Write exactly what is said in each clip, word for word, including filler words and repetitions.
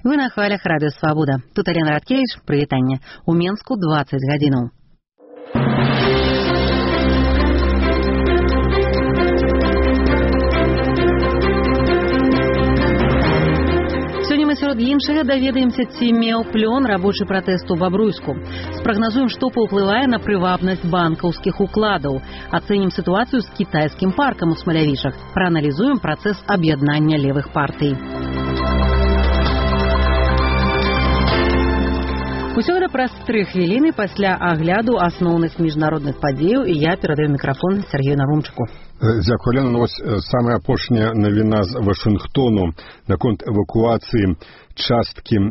Вы на хвалях радыё Свабода. Тут Алена Радкевич, прывітанне. У Менску дваццаць гадзінаў. Сёння мы сярод іншага даведаемся, ці меў плён рабочы пратэст у Бабруйску. Спрагназуем, што паўплывае на прывабнасць банкаўскіх укладаў. Ацэнім сітуацыю з кітайскім паркам у Смалявічах. Прааналізуем працэс аб'яднання левых партый. Усё гэта праз тры хвіліны пасля агляду асноўных міжнародных падзеяў, і я перадаю мікрафон Сергею Нарумчыку. Дзякую, Лена. Вось самая апошняя навіна з Вашынгтону наконт эвакуацыі часткі э,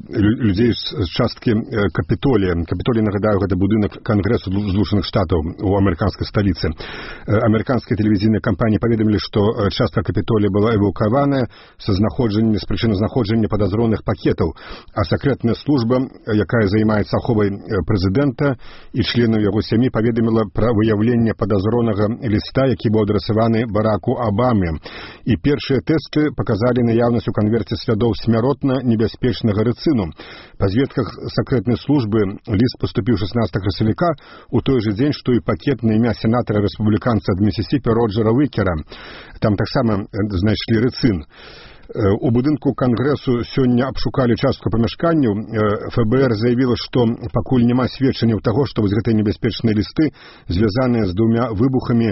людзей з часткі э, Капітолія. Капітолій, нагадаю, гэта будынак Кангрэсу Злучаных Штатаў у амерыканскай сталіцы. Э, амерыканскія тэлевізійныя кампаніі паведамілі, што частка Капітолія была эвакуаваная са знаходжаннем, з прычыны знаходжання падазроных пакетаў, а сакрэтная служба, якая займаецца аховай прэзідэнта і членаў яго сям'і, паведаміла пра выяўленне падазронага ліста, які быў адрасаваны Бараку Абаме. І першыя тэсты паказалі наяўнасць у канверце слядоў смяротна небяспечнага рыцыну. Па зведках сакрэтнай службы ліст паступіў шаснаццатага красавіка у той жа дзень, што і пакет на імя сенатара рэспубліканца ад Місісіпі Роджера Уікера. Там таксама знайшлі рыцын. У будынку Кангрэсу сёння абшукалі частку памяшканняў. эф бэ эр заявіла, што пакуль няма сведчанняў таго, што вось гэтыя небяспечныя лісты звязаныя з двумя выбухамі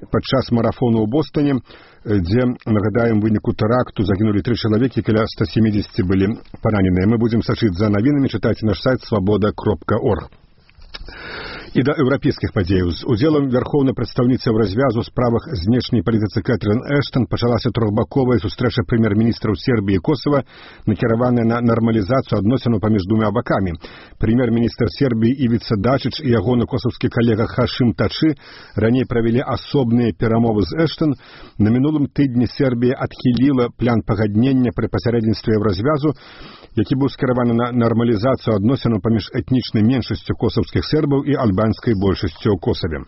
падчас марафону ў Бостоне, дзе, нагадаем, выніку тэракту загінулі тры чалавекі, каля ста сямідзесят былі параненыя. Мы будзем сачыць за навінамі, чытайце наш сайт свабода кропка орг. І да еўрапейскіх падзеяў. З удзелам вярхоўнай прадстаўніцы ў развязу ў справах знешняй палітыцы Кэтрын Эштон пачалася трохбаковая сустрэча прэм'ер-міністраў Сербіі і Косава, накіраваная на нармалізацыю адносінаў паміж двума бакамі. Прэм'ер-міністр Сербіі Івіца Дачыч і ягоны косаўскі калега Хашым Тачы раней правялі асобныя перамовы з Эштон. На мінулым тыдні Сербія адхіліла план пагаднення пры пасярэдніцтве развязу, які быў скіраваны на нармалізацыю адносінаў паміж этнічнай меншасцю косаўскіх сербаў і альбанскай большасцю ў Косаве.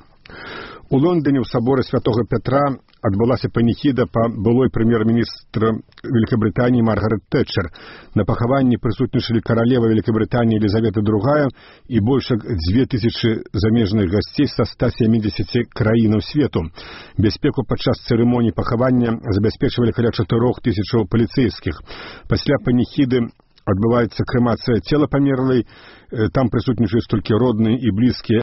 У Лондоне ў саборы святога Пятра адбылася паніхіда па былой прэм'ер-міністра Великабрытаніі Маргарет Тэтчер. На пахаванні прысутнічалі каралева Великабрытаніі Елізавета другая і больш як дзве тысячы замежных гасцей са ста сямідзесяці краінаў свету. Бяспеку падчас цырымоніі пахавання забяспечвалі каля чатырох тысячаў паліцэйскіх. Пасля паніхіды адбываецца крэмацыя цела памерлай. Там прысутнічаюць толькі родныя і блізкія